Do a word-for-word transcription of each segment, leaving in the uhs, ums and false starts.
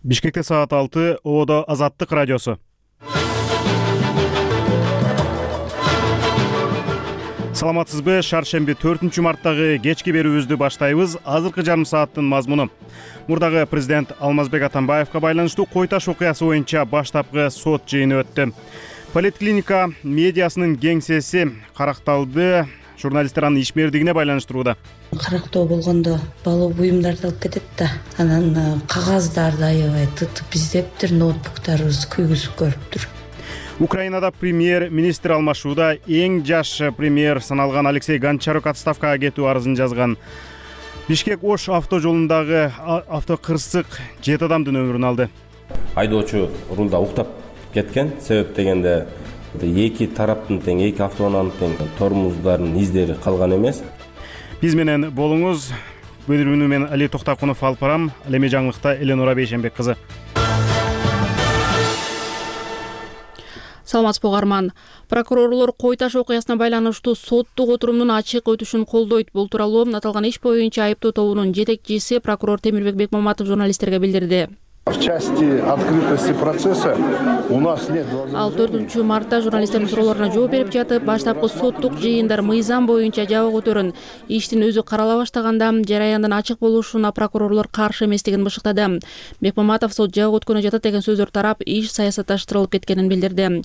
Бишкекте саат алты, Оодо Азаттык радиосу. Саламатсызбы? Шаршемби төртүнчү марттагы кечки берүүбүздү баштайбыз. Азыркы жарым сааттын мазмуну. Мурдагы президент Алмазбек Атамбаевка байланыштуу Кой Таш окуясы боюнча баштапкы сот жыйыны өттү. Поликлиника медиасынын кеңсеси каракталды. Журналисттер анын ишмердигине байланыштырууда. Карактоо болгондо балуу буюмдарды алып кетет да, анан кагаздарды аябай тытып издептир, ноутбуктарыбыз күйгүзүп көрүптүр. Украинада премьер-министр алмашууда. Эң жаш премьер саналган Алексей Гончарук отставкага кетүү арызын жазган. Бишкек-Ош автожолундагы автокырсык жети адамдын өмүрүн алды. Айдоочу рулда уктап кеткен. Себеп дегенде эки тараптын тең, эки автоунаанын тең тормоздордун издери калган эмес. Биз менен болуңуз. Бөлүмүнү мен Али Токтакунов алып барам. Ал эми жаңылыкта Эленора Бейшенбек кызы. Саламатсызбы угарман. Прокурорлор Кой Таш окуясына байланыштуу соттук отурумдун ачык өтүшүн колдойт. Бул тууралуу аталган иш боюнча айыптоо тобунун жетекчиси прокурор Темирбек Бекмаматов журналисттерге билдирди. В части открытости процесса у нас нет. Ал төртүнчү мартта журналисттердин суроолоруна жооп берип жатып, баштапкы соттук жыйындар мыйзам боюнча жабык өтөрүн. Иштин өзү карала баштаганда жараяндын ачык болушуна прокурорлор каршы эместигин бышыктады. Бекмаматов сот жабык өткөнү жатат деген сөздөр тарап, иш саясатташтырылып кеткенин билдирди.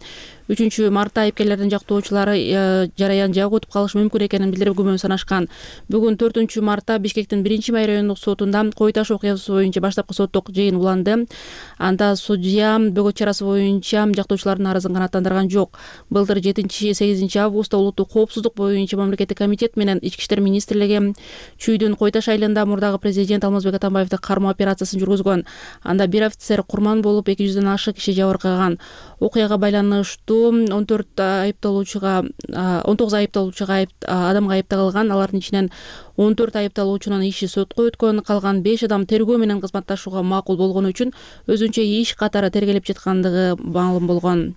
үчүнчү мартта айыпкерлердин жактоочулары жараян жабык өтүп калышы мүмкүн экенин билдирип күмөн санашкан. Бүгүн төртүнчү мартта Бишкектин биринчи май райондук сотунда Кой Таш окуясы боюнча баштапкы соттук жыйын уланды. Анда судья бөгөт чарасы боюнча жактоочулардын арызын канааттандырган жок. Былтыр жетинчи сегизинчи августта улуттук коопсуздук боюнча мамлекеттик комитет менен Ички иштер министрлиги Чүйдүн Кой Таш айылында мурдагы президент Алмазбек Атамбаевди кармоо операциясын жүргүзгөн. Анда бир офицер курман болуп, эки жүздөн ашык киши жабыркаган. Окуяга байланыштуу он төрт айыпталуучуга он тогуз айыпталуучуга адамга айыпталган. Алардын ичинен он төрт айыпталуучунун иши сотко өткөн, калган беш адам тергөө менен кызматташууга макул болгону үчүн өзүнчө иш катары тергелип жаткандыгы маалым болгон.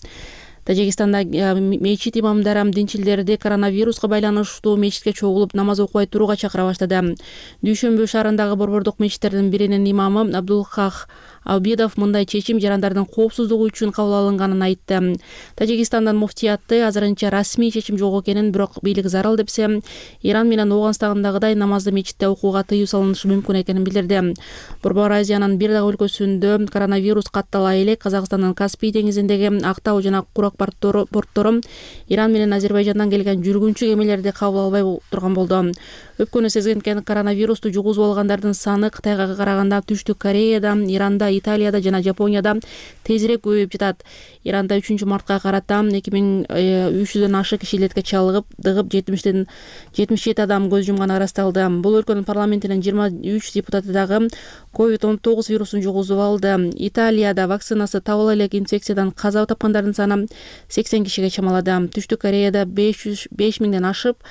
Тажикстанда мечит имамдары динчилдерди коронавируска байланыштуу мечитке чогулуп намаз окубай турууга чакыра баштады. Дүйшөмбү шаарындагы борбордук мечиттердин биринин имамы Абдулхах Абидов мындай чечим жарандардын коопсуздугу үчүн кабыл алынганын айтты. Тажикстандын муфтиятты азырынча расмий чечим жок экенин, бирок бийлик зарыл депсе, Иран менен Ооганстандагыдай намазды мечитте окууга тыюу салынышы мүмкүн экенин билдирди. Борбор Азиянын бир дагы өлкөсүндө коронавирус каттала элек. Казакстандын Каспий деңизиндеги Актау жана Курак порттору Иран менен Азербайжандан келген жүргүнчү кемелерди кабыл албай турган болду. Өпкөнү сезген коронавирусту жугузуп алгандардын саны Кытайга караганда Түштүк Кореяда, Иранда, Италияда жана Жапонияда тезирээк көбөйүп жатат. Иранда үчүнчү мартка карата эки миң үч жүздөн ашык киши илетке чалыгып, дыгып жетимиштен жетимиш жети адам көз жумганы ырасталды. Бул өлкөнүн парламентинин жыйырма үч депутаты дагы ковид он тогуз вирусун жугузуп алды. Италияда вакцинасы табыла элек инфекциядан каза тапкандардын саны сексен кишиге чамалады. Түштүк Кореяда беш миңден ашып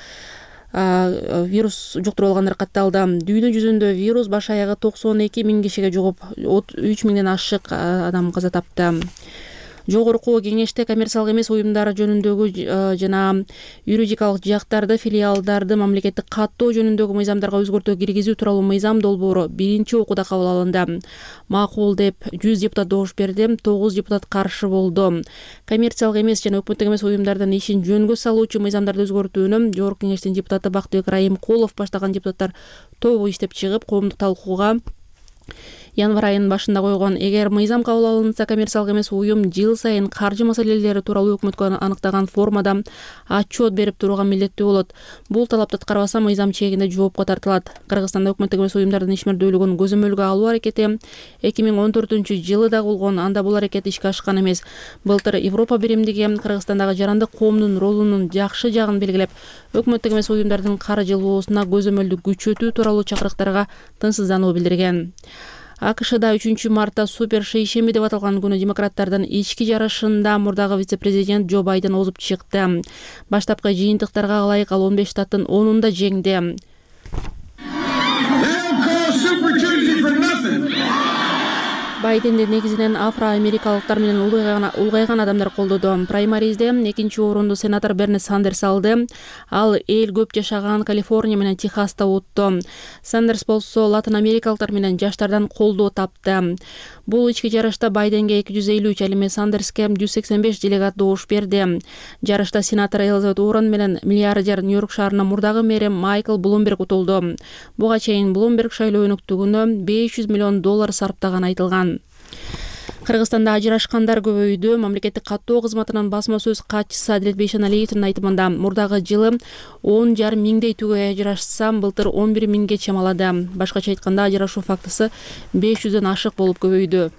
вирус жуктуруп алгандар катталды. Дүйнө жүзүндө вирус баш аягы токсон эки миң кишиге жугуп, үч миңден ашык адам каза тапты. Жогорку кеңеште коммерциялык эмес уюмдар жөнүндөгү жана юридикалык жактарды, филиалдарды мамлекеттик каттоо жөнүндөгү мыйзамдарга өзгөртүү киргизүү тууралуу мыйзам долбоору биринчи окууда кабыл алынды. Макул деп жүз депутат добуш берди, тогуз депутат каршы болду. Коммерциялык эмес жана өкмөттүк эмес уюмдардын ишин жөнгө салуучу мыйзамдарды өзгөртүүнү Жогорку кеңештин депутаты Бактыбек Райымкулов баштаган депутаттар тобу иштеп чыгып, коомдук талкууга январь айынын башында койгон. Эгер мыйзам кабыл алынса, коммерциялык эмес уюм жыл сайын каржы маселелери тууралуу өкмөткө аныктаган формада отчет берип турууга милдеттүү болот. Бул талапты аткарбаса мыйзам чегинде жоопко тартылат. Кыргызстанда өкмөттүк эмес уюмдардын ишмердүүлүгүн көзөмөлгө алуу аракети эки миң он төртүнчү жылы да болгон. Анда бул аракет ишке ашкан эмес. Былтыр Европа биримдиги Кыргызстандагы жарандык коомдун ролунун жакшы жагын белгилеп, өкмөттүк эмес уюмдардын каржылоосуна көзөмөлдү күчөтүү тууралуу чакырыктарга тынчсыздануу билдирген. АКШда үчүнчү мартта супер шейшемби деп аталган күнү демократтардын ички жарышында мурдагы вице-президент Джо Байден озуп чыкты. Баштапкы жыйынтыктарга ылайык ал он беш штаттын онунда жеңди. Байденди негизинен афро-америкалыктар менен улгайган улгайган адамдар колдоду. Праймаризде экинчи орунду сенатор Берни Сандерс алды. Ал эл көп жашаган Калифорния менен Техаста утту. Сандерс болсо латын америкалыктар менен жаштардан колдоо тапты. Бул ички жарышта Байденге эки жүз элүү үч, ал эми Сандерске жүз сексен беш делегат добуш берди. Жарышта сенатор Элизабет Уоррен менен миллиардер Нью-Йорк шаарынын мурдагы мэри Майкл Блумберг утулду. Буга чейин Блумберг шайлоо өнүктүгүнө беш жүз миллион доллар сарптаганы айтылган. Кыргызстанда ажырашкандар көбөйдү. Мамлекеттик каттоо кызматынын басма сөз катчысы Адилет Бейшеналиевдин айтымында мурдагы жылы он жарым миңдей түгөй ажырашса, былтыр он бир миңге чамалады. Башкача айтканда, ажырашуу фактысы беш жүздөн ашык болуп көбөйдү.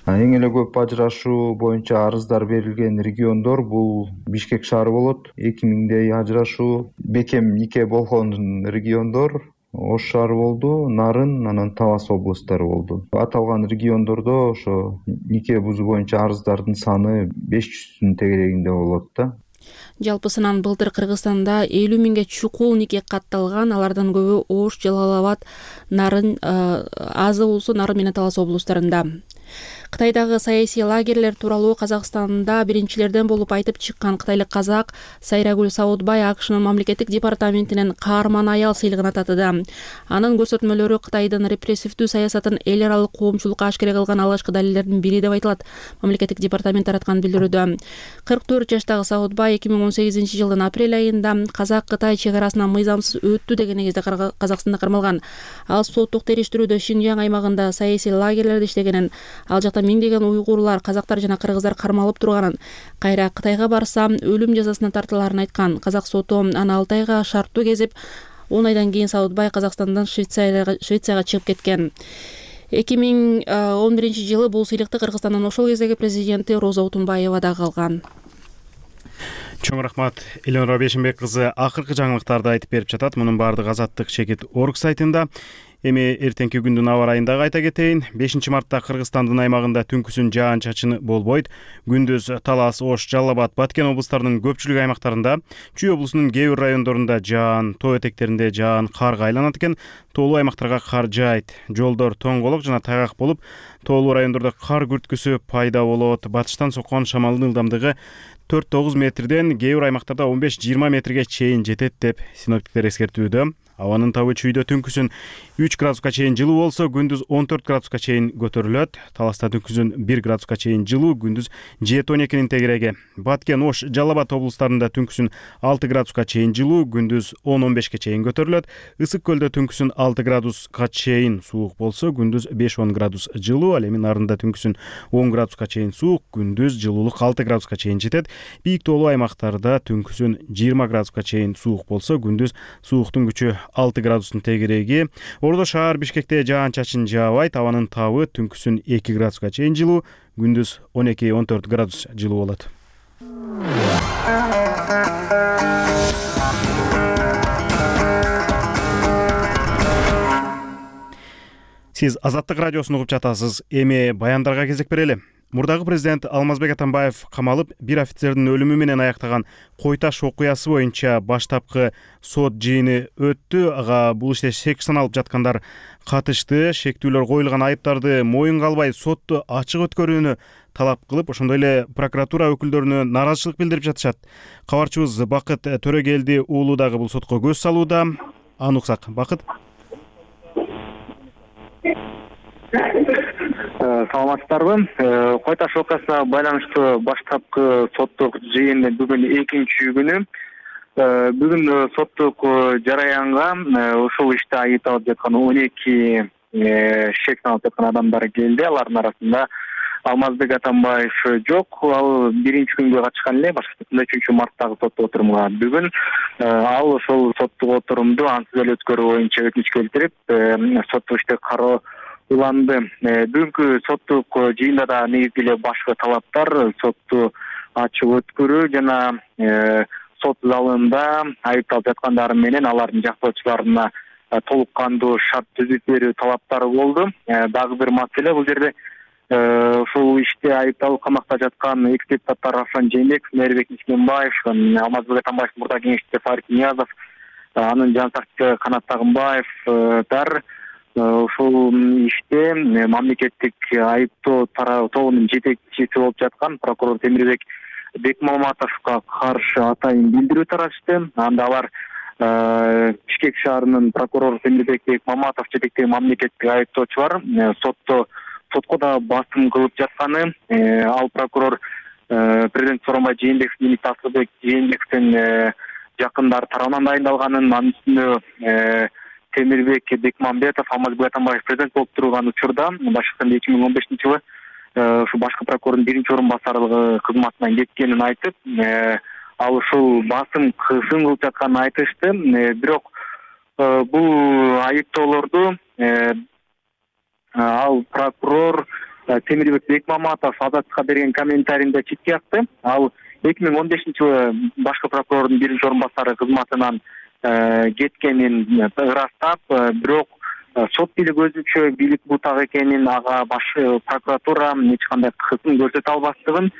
Эң эле көп ажырашуу боюнча арыздар берилген региондор бул Бишкек шаары болот. эки миңдей ажырашуу, бекем нике болгон региондор Ош шаары болду, Нарын, анан Талас облустары болду. Аталган региондордо ошо нике бузуу боюнча арыздардын саны беш жүздүн тегерегинде болот да. Жалпысынан былтыр Кыргызстанда элүү миңге чукул нике катталган, алардын көбү Ош, Жалал Абад, Нарын, азы болсо Нарын менен Талас облустарында. Кытайдагы саясий лагерлер тууралуу Казакстанда биринчилерден болуп айтып чыккан кытайлык казак Сайрагүл Саудбай АКШнын мамлекеттик департаментинен каарман аял сыйлыгына татыды. Анын көрсөтмөлөрү Кытайдын репрессивдүү саясатын эл аралык коомчулукка ашкере кылган алгачкы далилдердин бири деп айтылат. Мамлекеттик департамент тараткан билдирүүдө. кырк төрт жаштагы Саудбай эки миң он сегизинчи жылдын апрель айында Казак-Кытай чек арасынан мыйзамсыз өттү деген негизде Казакстанда кармалган. Ал соттук териштирүүдө Шинжаң аймагында саясий лагерлерде иштегенин, ал жакта миңдеген уйгурлар, казактар жана кыргыздар кармалып турганын, кайра Кытайга барса өлүм жазасына тартылаарын айткан. Казак соту аны алты айга шарттуу кезип, он айдан кийин Саудбай Казакстандан Швейцарияга Швейцарияга чыгып кеткен. эки миң он биринчи жылы бул сыйлыкты Кыргызстандын ошол кездеги президенти Роза Утунбаева дагы алган. Чоң рахмат. Элнура Бейшенбек кызы акыркы жаңылыктарды айтып берип жатат. Мунун баардыгы Азаттык чекит орг сайтында. Эми эртеңки күндүн аба райын дагы айта кетейин. бешинчи мартта Кыргызстандын аймагында түнкүсүн жаан-чачын болбойт. Күндүз Талас, Ош, Жалал Абад, Баткен облустарынын көпчүлүк аймактарында, Чүй облусунун кээ бир райондорунда жаан, тоо этектеринде жаан, карга айланат экен. Тоолуу аймактарга кар жаайт. Жолдор тоңголок жана тайгак болуп, тоолуу райондордо кар күрткүсү пайда болот. Батыштан соккон шамалдын ылдамдыгы төрт тогуз метрден кээ бир аймактарда он беш жыйырма метрге чейин жетет деп синоптиктер эскертүүдө. Абанын табы Чүйдө түнкүсүн үч градуска чейин жылуу болсо, күндүз он төрт градуска чейин көтөрүлөт. Таласта түнкүсүн бир градуска чейин жылуу, күндүз жети он экинин тегереги. Баткен, Ош, Жалал Абад облустарында түнкүсүн алты градуска чейин жылуу, күндүз он он бешке чейин көтөрүлөт. Ысык көлдө түнкүсүн алты градуска чейин суук болсо, күндүз беш он градус жылуу, ал эми Нарында түнкүсүн он градуска чейин суук, күндүз жылуулук алты градуска чейин жетет. Бийик тоолуу аймактарда түнкүсүн жыйырма градуска чейин суук болсо, күндүз сууктун күчү алты градустун тегереги. Ордо шаар Бишкекте жаан-чачын жаабайт. Абанын табы түнкүсүн эки градуска чейин жылуу, күндүз он эки он төрт градус жылуу болот. Сиз Азаттык радиосун угуп жатасыз. Эми баяндарга кезек берели. Мурдагы президент Алмазбек Атамбаев камалып, бир офицердин өлүмү менен аяктаган Кой-Таш окуясы боюнча баштапкы сот жыйыны өттү. Ага бул иште шек саналып жаткандар катышты. Шектүүлөр коюлган айыптарды моюнга албай сотту ачык өткөрүүнү талап кылып, ошондой эле прокуратура өкүлдөрүнө нааразычылык билдирип жатышат. Кабарчыбыз Бакыт Төрөгелди уулу дагы бул сотко көз салууда. Аны уксак. Бакыт. Саламатсыздарбы? Кой-Таш окуясына байланыштуу баштапкы соттук жыйын бүгүн экинчи күнү. Бүгүн соттук жараянга ушул иште айыпталып жаткан он эки шек саналып жаткан адамдар келди. Алардын арасында Алмазбек Атамбаев жок. Ал биринчи күнгө катышкан эле, башкача үчүнчү марттагы соттук отурумга. Бүгүн ал ошол соттук отурумду ансыз эле өткөрүү боюнча өтүнүч келтирип, соттук иште кароо уланды. Бүгүнкү соттук жыйында да негизги эле башкы талаптар сотту ачык өткөрүү жана сот залында айыпталып жаткандар менен алардын жактоочуларына толук кандуу шарт түзүп берүү талаптары болду. Дагы бир маселе, бул жерде ушул иште айыпталып камакта жаткан экс депутаттар Равшан Жээнбеков, Мээрбек Мискенбаев, Алмазбек Атамбаев мурда кеңешчиси Фарит Ниязов, анын жан сакчысы Канат Тагынбаевдар ушул иште мамлекеттик айыптоо тобунун жетекчиси болуп жаткан прокурор Темирбек Бекмаматовго каршы атайын билдирүү таратышты. Анда алар Бишкек шаарынын прокурору Темирбек Бекмаматов жетектеген мамлекеттик айыптоочулар сотто сотко да басым кылып жатканы, ал прокурор президент Сооронбай Жээнбеков, министр Асылбек Жээнбековдин жакындары тарабынан дайындалганын, анын үстүнө Темирбек Бекмамбетов, Алмазбек Атамбаев президент болуп турган учурда башкы эки миң он бешинчи жылы ушу башкы прокурордун биринчи орун басарлыгы кызматынан кеткенин айтып, ал ушул басым кысым кылып жатканын айтышты. Бирок бул айыптоолорду ал прокурор Темирбек Бекмаматов Азаттыкка берген комментарийинде четке какты. Ал эки миң он бешинчи жылы башкы прокурордун биринчи орун басары кызматынан кеткенин ырастап, бирок сот бийлик өзүнчө бийлик бутак экенин, ага баш прокуратура эч кандай кысым көрсөтө албастыгын,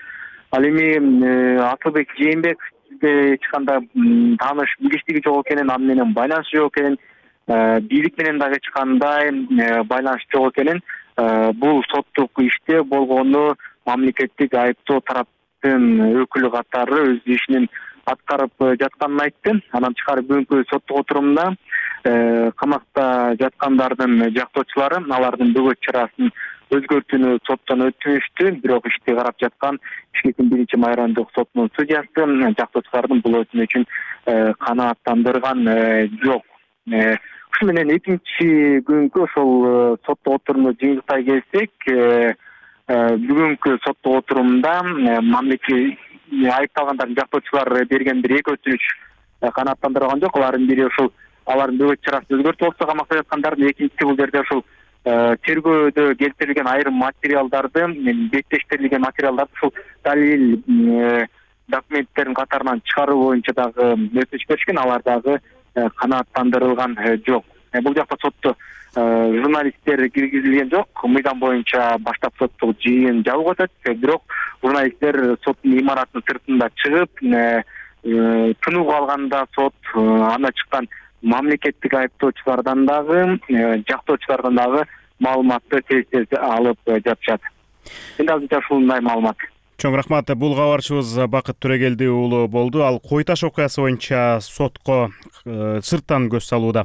ал эми Асылбек Жээнбековде эч кандай тааныш билиштиги жок экенин, аны менен байланышы жок экенин, бийлик менен дагы эч кандай байланыш жок экенин, бул соттук иште болгону мамлекеттик айыптоо тараптын өкүлү катары өз ишин аткарып жатканын айтты. Анан тышкары бүгүнкү соттук отурумда камакта жаткандардын жактоочулары алардын бөгөт чарасын өзгөртүүнү соттон өтүнүштү. Бирок ишти карап жаткан Бишкектин биринчи майрамдык сотунун судьясы жактоочулардын бул өтүнүчүн канааттандырган жок. Ушу менен экинчи күнгө ошол соттук отурумду жыйынтыктай келсек, бүгүнкү соттук отурумда мамлекет айыпталгандардын жактоочулары берген бир эки өтүнүч канааттандырылган жок. Алардын бири ошол алардын бөгөт чарасын өзгөртүп алса камакта жаткандардын, экинчиси бул жерде ошол тергөөдө келтирилген айрым материалдарды, беттештирилген материалдарды ушул далил документтердин катарынан чыгаруу боюнча дагы өтүнүч беришкен, алар дагы канааттандырылган жок. Бул жакта сотто журналисттер киргизилген жок. Мыйзам боюнча баштап соттук жыйын жабык өтөт, бирок журналисттер соттун имаратынын сыртында чыгып, тынууга алганда сот анда чыккан мамлекеттик айыптоочулардан дагы, жактоочулардан дагы маалыматты тез-тез алып жатышат. Эми азырынча ушундай маалымат. Чоң рахмат. Бул кабарчыбыз Бакыт Төрөгелди уулу болду. Ал Кой Таш окуясы боюнча сотко сырттан көз салууда.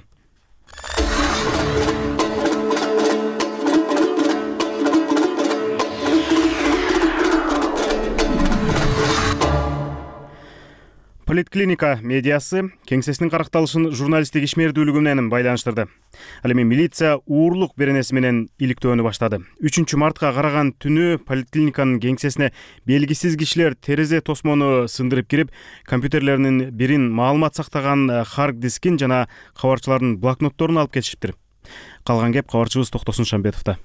Политклиника медиасы кеңсесинин каракталышын журналисттик ишмердүүлүгү менен байланыштырды. Ал эми милиция уурлук беренеси менен иликтөөнү баштады. үчүнчү мартка караган түнү поликлиниканын кеңсесине белгисиз кишилер терезе тосмону сындырып кирип, компьютерлеринин бирин маалымат сактаган хард дискин жана кабарчылардын блокнотторун алып кетишиптир. Калган кеп кабарчыбыз Токтосун Шамбетовдо.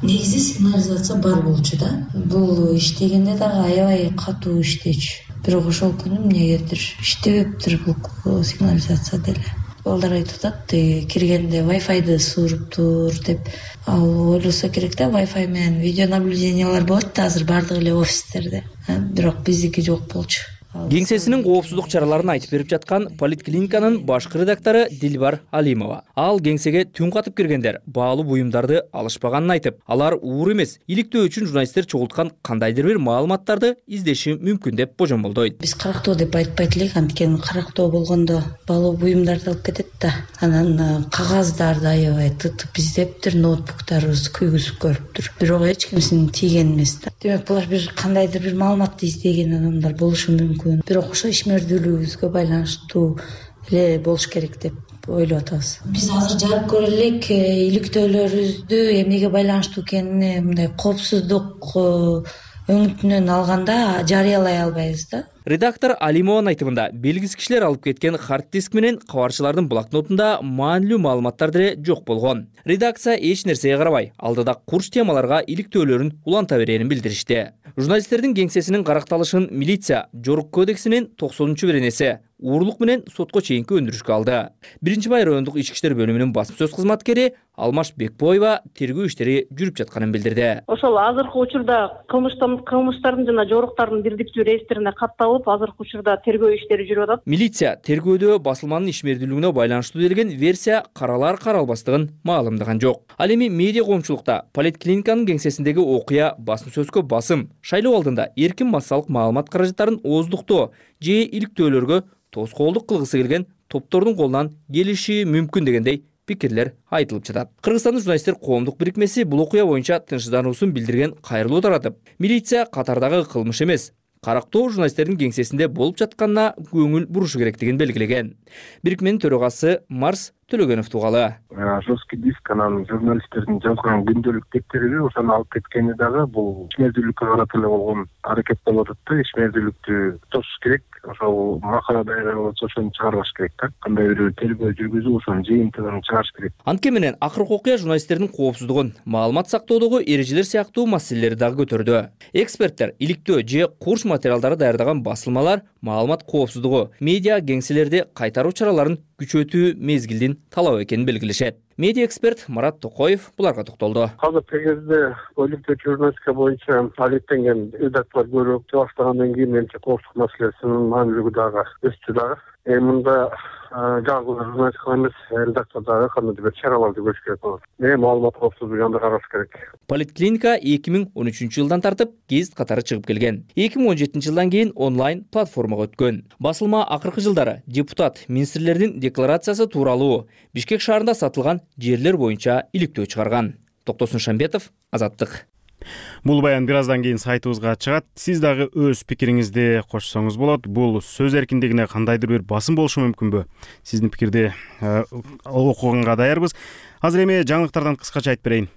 Негизи сигнализация бар болчу да. Бул иштегенде дагы аябай катуу иштечү. Бирок ошол күнү эмнегедир иштебептир бул сигнализация деле. Балдар айтып атат, киргенде Wi-Fi'ды сууруптур деп. Ал ойлосо керек да, Wi-Fi менен видеонаблюдениялар болот да азыр бардык эле офистерде. Бирок биздики жок болчу. Кеңсесинин коопсуздук чараларын айтып берип жаткан политклиниканын башкы редактору Дилбар Алимова. Ал кеңсеге түн катып киргендер баалуу буюмдарды алышпаганын айтып, алар уур эмес, иликтөө үчүн журналисттер чогулткан кандайдыр бир маалыматтарды издеши мүмкүн деп божомолдойт. Биз карактоо деп айтпайт элек, анткени карактоо болгондо баалуу буюмдарды алып кетет да. Анан кагаздарды аябай тытып издептир, ноутбуктарыбызды күйгүзүп көрүптүр. Бирок эч кимсинин тийген эмес да. Демек булар бир кандайдыр бир маалыматты издеген адамдар болушу мүмкүн. Бирок ошо ишмердүүлүгүбүзгө байланыштуу эле болуш керек деп ойлоп атабыз. Биз азыр жарып көрө элек иликтөөлөрүбүздү эмнеге байланыштуу экенине мындай коопсуздук өңүтүнөн алганда жарыялай албайбыз да. Редактор Алимованын айтымында белгисиз кишилер алып кеткен хард диск менен кабарчылардын блокнотунда маанилүү маалыматтар деле жок болгон. Редакция эч нерсеге карабай, алдыда курч темаларга иликтөөлөрүн уланта беренин билдиришти. Журналисттердин кеңсесинин каракталышын милиция Жорук кодексинин токсонунчу беренеси уурлук менен сотко чейинки өндүрүшкө алды. Биринчи бай райондук ички иштер бөлүмүнүн басым сөз кызматкери Алмаш Бекбоева тергөө иштери жүрүп жатканын билдирди. Ошол азыркы учурда кылмыштын кылмыштардын жана жоруктардын бирдиктүү реестрине катталып, азыркы учурда тергөө иштери жүрүп атат. Милиция тергөөдө басылманын ишмердүүлүгүнө байланыштуу делген версия каралар каралбастыгын маалымдаган жок. Ал эми медиа коомчулукта поликлиниканын кеңсесиндеги окуя басым сөзгө басым, шайлоо алдында эркин массалык маалымат каражаттарын ооздуктоо же иликтөөлөргө тоскоолдук кылгысы келген топтордун колунан келиши мүмкүн дегендей пикирлер айтылып жатат. Кыргызстандын журналисттер коомдук бирикмеси бул окуя боюнча тынчсыздануусун билдирген кайрылуу таратып, милиция катардагы кылмыш эмес, карактоо журналисттердин кеңсесинде болуп жатканына көңүл бурушу керектигин белгилеген. Бирикменин төрагасы Марс Төлөгөнов тугалы. Жесткий диск анан журналисттердин жазган күндөлүк кептериби ошону алып кеткени дагы бул ишмердүүлүккө карата эле болгон аракет болуп атат да. Ишмердүүлүктү тосуш керек. Ошол макала дайыр болсо ошону чыгарбаш керек да. Кандай бир тергөө жүргүзүп ошонун жыйынтыгын чыгарыш керек. Антке менен акыркы окуя журналисттердин коопсуздугун, маалымат сактоодогу эрежелер сыяктуу маселелерди дагы көтөрдү. Эксперттер иликтөө же курс материалдары даярдаган басылмалар маалымат коопсуздугу, медиа кеңселерди кайтаруу чараларын күчөтүү мезгилдин талап экенин белгилешет. Медиа эксперт Марат Токоев буларга токтолду. Азыркы кезде иликтөө журналистика боюнча алектенген редакторлор көрүп баштагандан кийин менимче коопсуздук маселесинин маанилүүлүгү дагы өстү дагы. Эми мында жалгыз журналистика эмес, редактор дагы кандайдыр бир чараларды көрүш керек болот. Эми маалымат коопсуздугун да караш керек. Поликлиника эки миң он үчүнчү жылдан тартып гезит катары чыгып келген. эки миң он жетинчи жылдан кийин онлайн платформага өткөн. Басылма акыркы жылдары депутат, министрлердин декларациясы тууралуу Бишкек шаарында сатылган жерлер боюнча иликтөө чыгарган. Токтосун Шамбетов, Азаттык. Бул баян бир аздан кийин сайтыбызга чыгат. Сиз дагы өз пикириңизди кошсоңуз болот. Бул сөз эркиндигине кандайдыр бир басым болушу мүмкүнбү? Сиздин пикирди окуганга даярбыз. Азыр эми жаңылыктардан кыскача айтып берейин.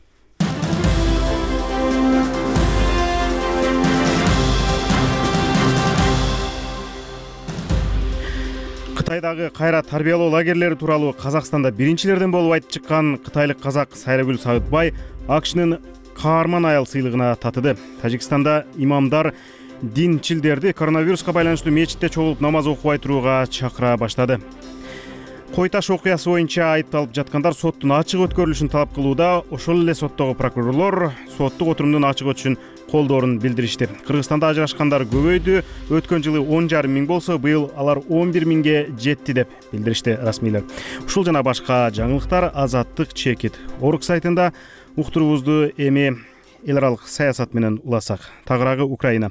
Кытайдагы кайра тарбиялоо лагерлери тууралуу Казакстанда биринчилерден болуп айтып чыккан кытайлык казак Сайрагүл Сагытбай АКШнын каарман аял сыйлыгына татыды. Тажикстанда имамдар динчилдерди коронавируска байланыштуу мечитте чогулуп намаз окубай турууга чакыра баштады. Кой Таш окуясы боюнча айыпталып жаткандар соттун ачык өткөрүлүшүн талап кылууда. Ошол эле соттогу прокурорлор соттук отурумдун ачык өтүшүн колдоорун билдиришти. Кыргызстанда ажырашкандар көбөйдү. Өткөн жылы он жарым миң болсо, быйыл алар он бир миңге жетти деп билдиришти расмийлер. Ушул жана башка жаңылыктар Азаттык чекит орг сайтында. Уктуруубузду эми эл аралык саясат менен уласак. Тагыраагы Украина.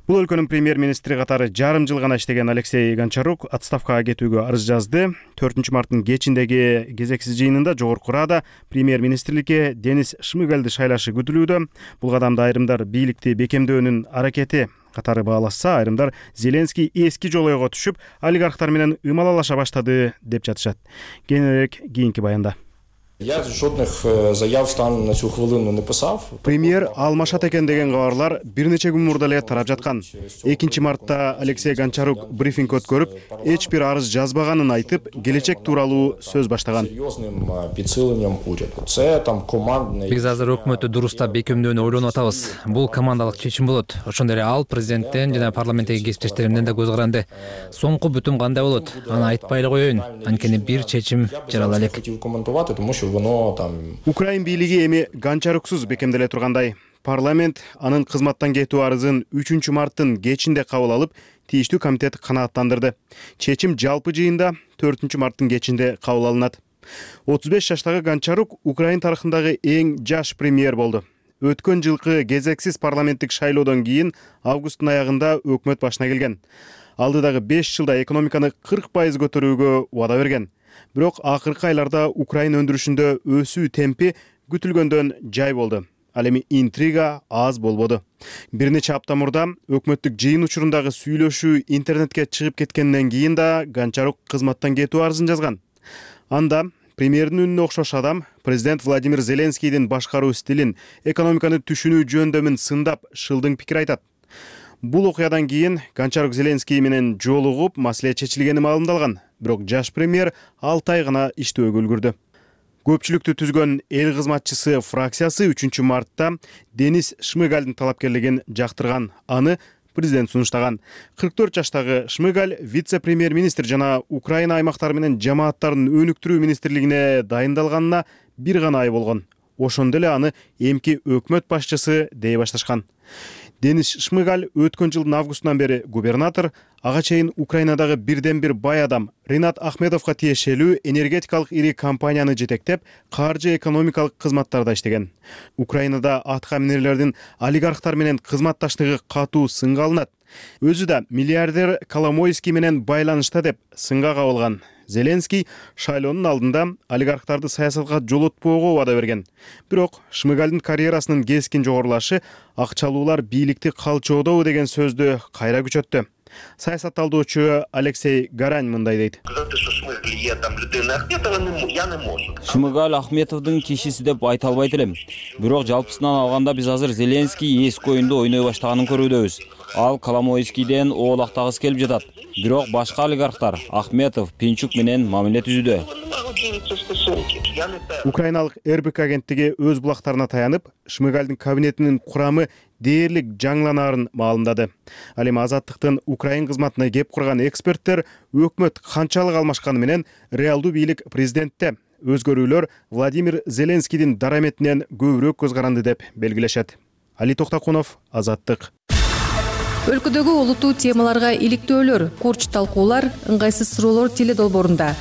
Бул өлкөнүн премьер-министри катары жарым жыл гана иштеген Алексей Гончарук отставкага кетүүгө арыз жазды. төртүнчү марттын кечиндеги кезексиз жыйынында Жогорку Рада премьер-министрликке Денис Шмыгалды шайлашы күтүлүүдө. Бул кадамды айрымдар бийликти бекемдөөнүн аракети катары баалашса, айрымдар Зеленский эски жолойго түшүп, олигархтар менен ымалалаша баштады деп жатышат. Кененирээк кийинки баянда. Я жодних заяв станом на цю хвилину не писав. Премьер алмашат экен деген кабарлар бир нече күн мурда эле тарап жаткан. экинчи мартта Алексей Гончарук брифинг өткөрүп, эч бир арыз жазбаганын айтып, келечек тууралуу сөз баштаган. Биз азыр өкмөттү дурустап бекемдөөнү ойлонуп атабыз. Бул командалык чечим болот. Ошондой эле ал президенттен жана парламенттеги кесиптештеримден да көз каранды. Соңку бүтүм кандай болот? Аны айтпай эле коеюн. Анткени бир чечим жарала элек. Украин бийлиги эми Гончаруксуз бекемделе тургандай. Парламент анын кызматтан кетүү арызын үчүнчү марттын кечинде кабыл алып, тийиштүү комитет канааттандырды. Чечим жалпы жыйында төртүнчү марттын кечинде кабыл алынат. отуз беш жаштагы Гончарук Украин тарыхындагы эң жаш премьер болду. Өткөн жылкы кезексиз парламенттик шайлоодон кийин августтун аягында өкмөт башына келген. Алдыдагы беш жылда экономиканы кырк пайыз көтөрүүгө убада берген. Бирок акыркы айларда Украин өндүрүшүндө өсүү темпи күтүлгөндөн жай болду. Ал эми интрига аз болбоду. Бир нече апта мурда өкмөттүк жыйын учурундагы сүйлөшүү интернетке чыгып кеткенден кийин да Гончарук кызматтан кетүү арызын жазган. Анда премьердин үнүнө окшош адам президент Владимир Зеленскийдин башкаруу стилин, экономиканы түшүнүү жөндөмүн сындап, шылдың пикир айтат. Бул окуядан кийин Гончарук Зеленский менен жолугуп, маселе чечилгени маалымдалган. Бирок жаш премьер алты ай гана иштөөгө үлгүрдү. Көпчүлүктү түзгөн эл кызматчысы фракциясы үчүнчү мартта Денис Шмыгальдын талапкерлигин жактырган. Аны президент сунуштаган. кырк төрт жаштагы Шмыгаль вице-премьер-министр жана Украина аймактары менен жамааттарын өнүктүрүү министрлигине дайындалганына бир гана ай болгон. Ошондо эле аны эмки өкмөт башчысы дей башташкан. Денис Шмыгаль өткөн жылдын августунан бери губернатор, ага чейин Украинадагы бирден бир бай адам Ринат Ахмедовго тиешелүү энергетикалык ири компанияны жетектеп, каржы экономикалык кызматтарда иштеген. Украинада атка минерлердин олигархтар менен кызматташтыгы катуу сынга алынат. Өзү да миллиардер Коломойский менен байланышта деп сынга кабылган. Зеленский шайлоонун алдында олигархтарды саясатка жолотпоого убада берген. Бирок Шмыгальдын карьерасынын кескин жогорулашы акчалуулар бийликти калчоодобу деген сөздү кайра күчөттү. Саясатталдоочу Алексей Гарань мындай дейт. Шмыгаль Ахметовдун кишиси деп айта албайт элем. Бирок жалпысынан алганда биз азыр Зеленский эски оюнду ойной баштаганын көрүүдөбүз. Ал Коломойскийден оолактагысы келип жатат. Бирок башка олигархтар Ахметов, Пинчук менен мамиле түзүүдө. Украиналык эр бэ ка агенттиги өз булактарына таянып, Шмыгальдын кабинетинин курамы дээрлик жаңланаарын маалымдады. Ал эми Азаттыктын Украин кызматына кеп курган эксперттер өкмөт канчалык алмашканы менен реалдуу бийлик президентте. Өзгөрүүлөр Владимир Зеленскийдин дараметинен көбүрөөк көз каранды деп белгилешет. Али Токтакунов, Азаттык. Өлкөдөгү олуттуу темаларга иликтөөлөр, курч талкуулар, ыңгайсыз суроолор теледолбоорунда.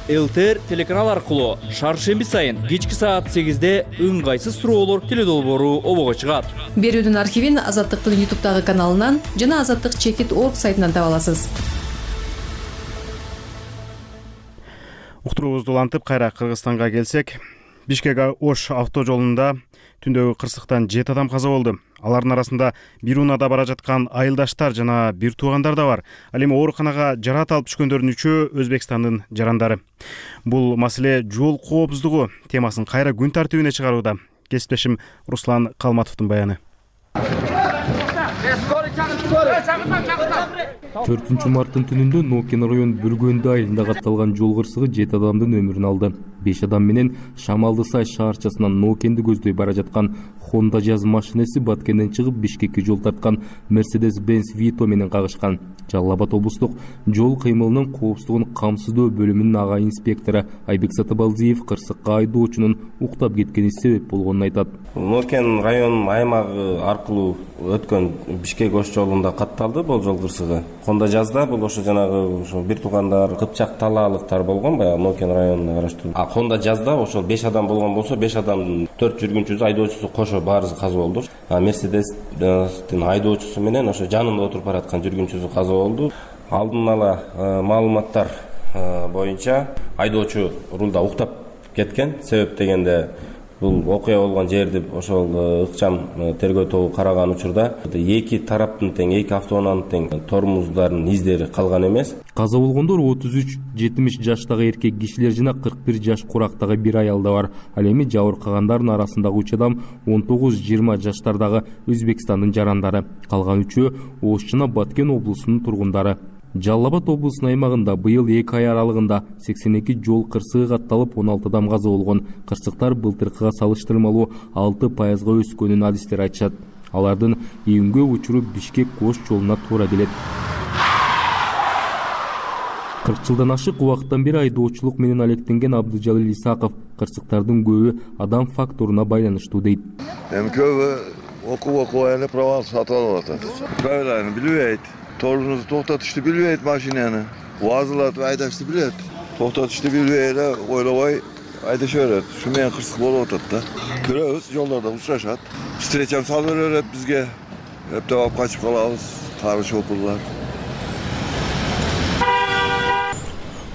эл тэ эр телеканал аркылуу шаршемби сайын кечки саат сегизде ыңгайсыз суроолор теледолбоору обого чыгат. Берүүнүн архивин Азаттыктын ютубтагы каналынан жана азаттык чекит точка орг сайтынан таба аласыз. Уктуруубузду улантып кайра Кыргызстанга келсек, Бишкек-Ош автожолунда түндөгү кырсыктан жети адам каза болду. Алардын арасында бир унаада бара жаткан айылдаштар жана бир туугандар да бар. Ал эми ооруканага жараат алып түшкөндөрдүн үчөө Өзбекстандын жарандары. Бул маселе жол коопсуздугу темасын кайра күн тартибине чыгарууда. Кесиптешим Руслан Калматовдун баяны. төртүнчү марттын түнүндө Нокен район Бүргөндү айылында катталган жол кырсыгы жети адамдын өмүрүн алды. беш адам менен Шамалды Сай шаарчасынан Нокенди көздөй бара жаткан Honda Jazz машинеси Баткенден чыгып Бишкекке жол тарткан Mercedes-Benz Vito менен кагышкан. Жалал Абад облустук жол кыймылынын коопсуздугун камсыздоо бөлүмүнүн ага инспектору Айбек Сатыбалдиев кырсыкка айдоочунун уктап кеткени себеп болгонун айтат. Нокен район аймагы аркылуу өткөн Бишкек-Ош жолунда катталды бул жол кырсыгы. Honda Jazz'да бул ошо жанагы ошо бир туугандар Кыпчак талаалыктар болгон, баягы Нокен районуна караштуу. А Honda Jazz'да ошол беш адам болгон болсо, беш адамдын төрт жүргүнчүсү, айдоочусу кошо баарысы каза болду. А Mercedes-тин айдоочусу менен ошо жанында отуруп бараткан жүргүнчүсү каза болду. Алдын ала маалыматтар боюнча айдоочу рулда уктап кеткен. Себеп дегенде бул окуя болгон жерди ошол ыкчам тергөө тобу караган учурда эки тараптын тең, эки автоунаанын тең тормоздордун издери калган эмес. Каза болгондор отуз үч жетимиш жаштагы эркек кишилер жана кырк бир жаш курактагы бир аял да бар. Ал эми жабыркагандардын арасындагы үч адам он тогуз жыйырма жаштардагы Өзбекстандын жарандары. Калган үчөө Ош жана Баткен облусунун тургундары. Жалал Абад облусунун аймагында быйыл эки ай аралыгында сексен эки жол кырсыгы катталып, он алты адам каза болгон. Кырсыктар былтыркыга салыштырмалуу алты пайызга өскөнүн адистер айтышат. Алардын ийгө учуру Бишкек-Ош жолуна туура келет. кырк жылдан ашык убакыттан бери айдоочулук менен алектенген Абдыжалил Исаков кырсыктардын көбү адам факторуна байланыштуу дейт. Эми көбү окуп окуп эле права сатып алып атат. Правиланы билбейт. Torunumuzu toxtatışdı bilmeyet maşineni. Vazılatı aydaştı bilet. Toxtatışdı bilmeyet öyle vay aydaş öğret. Şu meyen kırsık bolu otattı. Körüyoruz yollarda uçraşat. Streçem salver hep bizge. Hep devap kaçıp kalağız. Karış opurlar.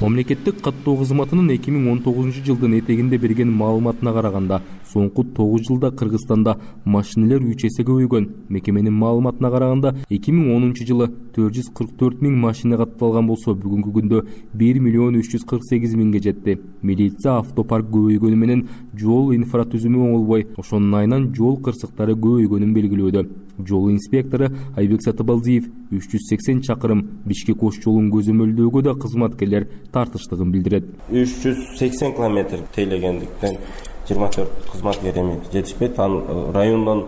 Мамлекеттик каттоо кызматынын эки миң он тогузунчу жылдын этегинде берген маалыматына караганда, соңку тогуз жылда Кыргызстанда машинелер үч эсе көбөйгөн. Мекеменин маалыматына караганда, эки миң онунчу жылы төрт жүз кырк төрт миң машина катталган болсо, бүгүнкү күндө бир миллион үч жүз кырк сегиз миңге жетти. Милиция автопарк көбөйгөнү менен жол инфратүзүмү оңолбой, ошонун айынан жол кырсыктары көбөйгөнүн белгилөөдө. Жол инспектору Айбек Сатыбалдиев үч жүз сексен чакырым Бишкек-Ош жолун көзөмөлдөөгө да кызматкерлер тартыштыгын билдирет. үч жүз сексен километр тейлегендиктен жыйырма төрт кызматкер эми жетишпейт. Ал райондон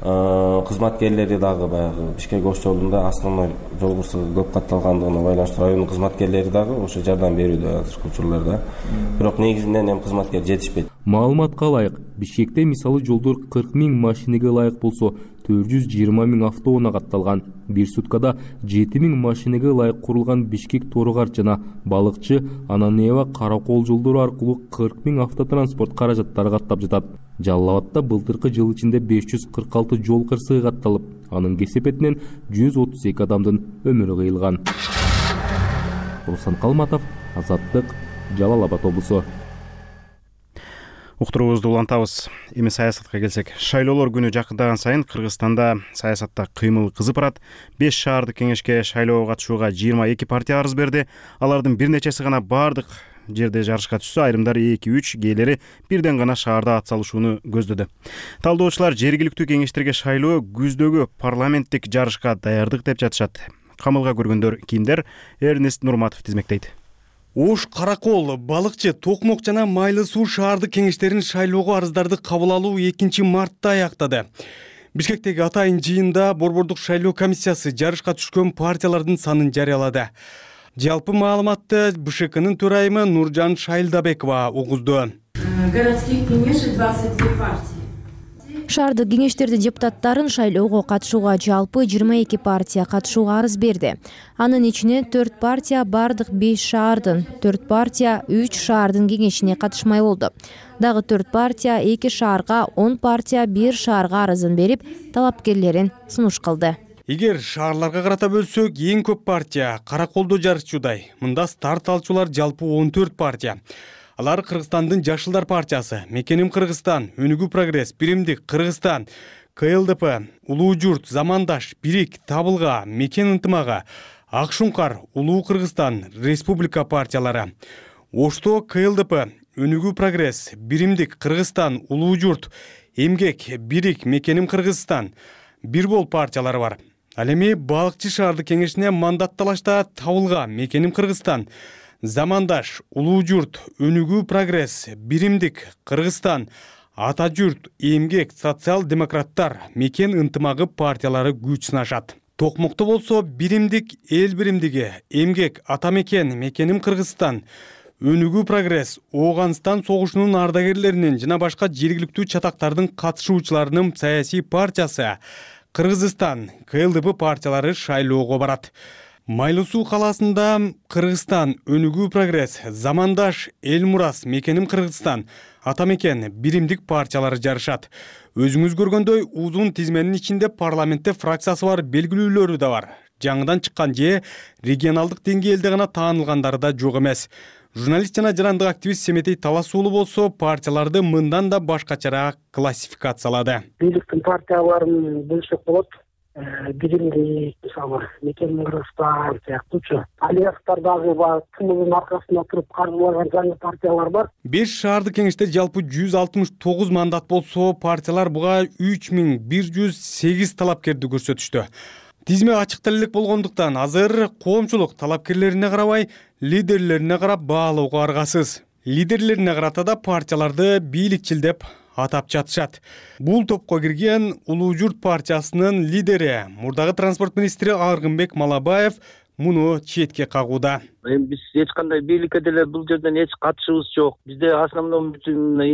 кызматкерлери дагы баягы Бишкек ош жолунда основной жол кырсыгы көп катталгандыгына байланыштуу райондун кызматкерлери дагы ошо жардам берүүдө азыркы учурларда. Бирок негизинен эми кызматкер жетишпейт. Маалыматка ылайык, Бишкекте мисалы жолдор кырк миң машинеге ылайык болсо, төрт жүз жыйырма миң автоунаа катталган. Бир суткада жети миң машинеге ылайык курулган Бишкек Торугарт жана Балыкчы, Ананева, Каракол жолдору аркылуу кырк миң автотранспорт каражаттары каттап жатат. Жалал Абадта былтыркы жыл ичинде беш жүз кырк алты жол кырсыгы катталып, анын кесепетинен жүз отуз эки адамдын өмүрү кыйылган. Руслан Калматов, Азаттык, Жалал Абад облусу. Уктуруубузду улантабыз. Эми саясатка келсек, шайлоолор күнү жакындаган сайын Кыргызстанда саясатта кыймыл кызып барат. беш шаардык кеңешке шайлоого катышууга жыйырма эки партия арыз берди. Алардын бир нечеси гана бардык жерде жарышка түшсө, айрымдары эки үч, кээделери бирден гана шаарда ат салышууну көздөдү. Талдоочулар жергиликтүү кеңештерге шайлоо күздөгү парламенттик жарышка даярдык деп жатышат. Камылга көргөндөр кимдер? Эрнест Нурматов тизмектейт. Ош, Каракол, Балыкчы, Токмок жана Майлы суу шаардык кеңештерин шайлоого арыздарды кабыл алуу экинчи мартта аяктады. Бишкектеги атайын жыйында Борбордук шайлоо комиссиясы жарышка түшкөн партиялардын санын жарыялады. Жалпы маалыматты Б Ш К'нын төрайымы Нуржан Шайлдабекова угузду. Городских кеңеш двадцать две партии. Шаардык кеңештердин депутаттарын шайлоого катышууга жалпы жыйырма эки партия катышууга арыз берди. Анын ичинен төрт партия бардык беш шаардын, төрт партия үч шаардын кеңешине катышмай болду. Дагы төрт партия эки шаарга, он партия бир шаарга арызын берип, талапкерлерин сунуш кылды. Эгер шаарларга карата бөлсөк, эң көп партия Караколдо жарышчудай. Мында старт алчулар жалпы он төрт партия. Алар Кыргызстандын Жашылдар партиясы, Мекеним Кыргызстан, Өнүгүү прогресс, Биримдик Кыргызстан, К Л Д П, Улуу журт, Замандаш, Бирик, Табылга, Мекен ынтымагы, Ак Шуңкар, Улуу Кыргызстан, Республика партиялары. Ошто К Л Д П, Өнүгүү прогресс, Биримдик Кыргызстан, Улуу журт, Эмгек, Бирик, Мекеним Кыргызстан, Бирбол партиялары бар. Ал эми Балыкчы шаардык кеңешине мандат талашта Табылга, Мекеним Кыргызстан, Замандаш, Улуу журт, Өнүгүү прогресс, Биримдик Кыргызстан, Ата журт, Эмгек, социал-демократтар, Мекен ынтымагы партиялары күч сынашат. Токмокто болсо Биримдик, Эл биримдиги, Эмгек, Ата мекен, Мекеним Кыргызстан, Өнүгүү прогресс, Ооганстан согушунун ардагерлеринин жана башка жергиликтүү чатактардын катышуучуларынын саясий партиясы Кыргызстан, К Л Д П партиялары шайлоого барат. Майлы суу калаасында Кыргызстан, Өнүгүү прогресс, Замандаш, Эл Мурас, Мекеним Кыргызстан, Ата мекен, Биримдик партиялары жарышат. Өзүңүз көргөндөй узун тизменин ичинде парламентте фракциясы бар белгилүүлөрү да бар. Жаңыдан чыккан же регионалдык деңгээлде гана таанылгандары да жок эмес. Журналист жана жарандык активист Семетей Таласуулу болсо партияларды мындан да башкачараак классификациялады. Бийликтин партияларын бөлсөк болот. Биримдик, мисалы, Мекеним Кыргызстан сыяктуучу альянстар дагы бар, тымылдын аркасында туруп каржылаган жаңы партиялар бар. беш шаардык кеңеште жалпы жүз алтымыш тогуз мандат болсо, партиялар буга үч миң бир жүз сегиз талапкерди көрсөтүштү. Тизме ачык делилик болгондуктан азыр коомчулук талапкерлерине карабай, лидерлерине карап баалоого аргасыз. Лидерлерине карата да партияларды бийликчил деп атап жатышат. Бул топко кирген Улуу журт партиясынын лидери, мурдагы транспорт министри Аргынбек Малабаев муну четке кагууда. Эми биз эч кандай бийликке деле бул жерден эч катышыбыз жок. Бизде основной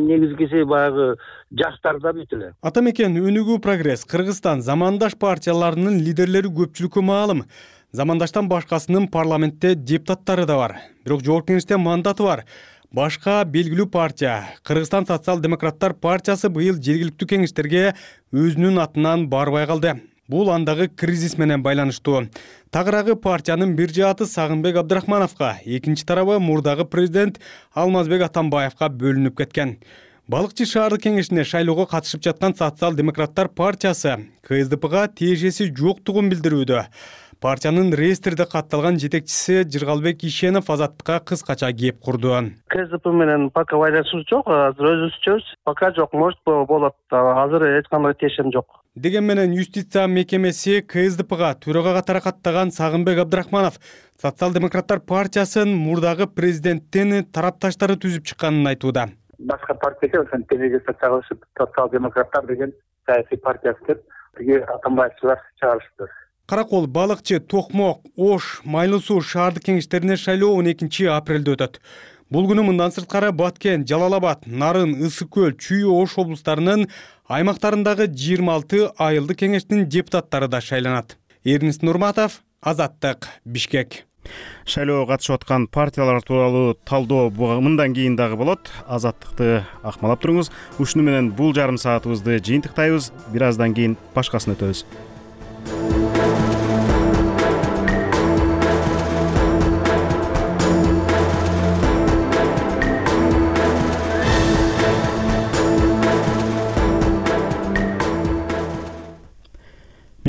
негизгиси баягы жаштарда бүт эле. Ата мекен, Өнүгүү прогресс, Кыргызстан, Замандаш партияларынын лидерлери көпчүлүккө маалым. Замандаштан башкасынын парламентте депутаттары да бар. Бирок жогорку кеңеште мандаты бар. Башка белгилүү партия, Кыргызстан социал-демократтар партиясы быйыл жергиликтүү кеңештерге өзүнүн атынан барбай калды. Бул андагы кризис менен байланыштуу. Тагыраагы партиянын бир жааты Сагынбек Абдрахмановго, экинчи тарабы мурдагы президент Алмазбек Атамбаевга бөлүнүп кеткен. Балыкчы шаардык кеңешине шайлоого катышып жаткан социал-демократтар партиясы К С Д Пга тиешеси жоктугун билдирүүдө. Партиянын реестрде катталган жетекчиси Жыргалбек Ишенов Азаттыкка кыскача кеп курду. К С Д П менен пока байланышыбыз жок, азыр өзүбүзчөбүз. Пока жок, может болот. Азыр эч кандай тиешем жок. Деген менен юстиция мекемеси К С Д Пга төрага катары каттаган Сагынбек Абдрахманов социал-демократтар партиясын мурдагы президенттин тарапташтары түзүп чыкканын айтууда. Башка партияга ошентип социал-демократтар деген саясий партиясы деп тиги атамбаевчылар чыгарышты. Каракол, Балыкчы, Токмок, Ош, Майлуу Суу шаардык кеңештерине шайлоо он экинчи апрелде өтөт. Бул күнү мындан сырткары Баткен, Жалал Абад, Нарын, Ысык көл, Чүй, Ош облустарынын аймактарындагы жыйырма алты айылдык кеңештин депутаттары да шайланат. Эрнис Нурматов, Азаттык, Бишкек. Шайлоого катышып аткан партиялар тууралуу талдоо мындан кийин дагы болот. Азаттыкты акмалап туруңуз. Ушуну менен бул жарым саатыбызды жыйынтыктайбыз. Бир аздан кийин башкасына өтөбүз.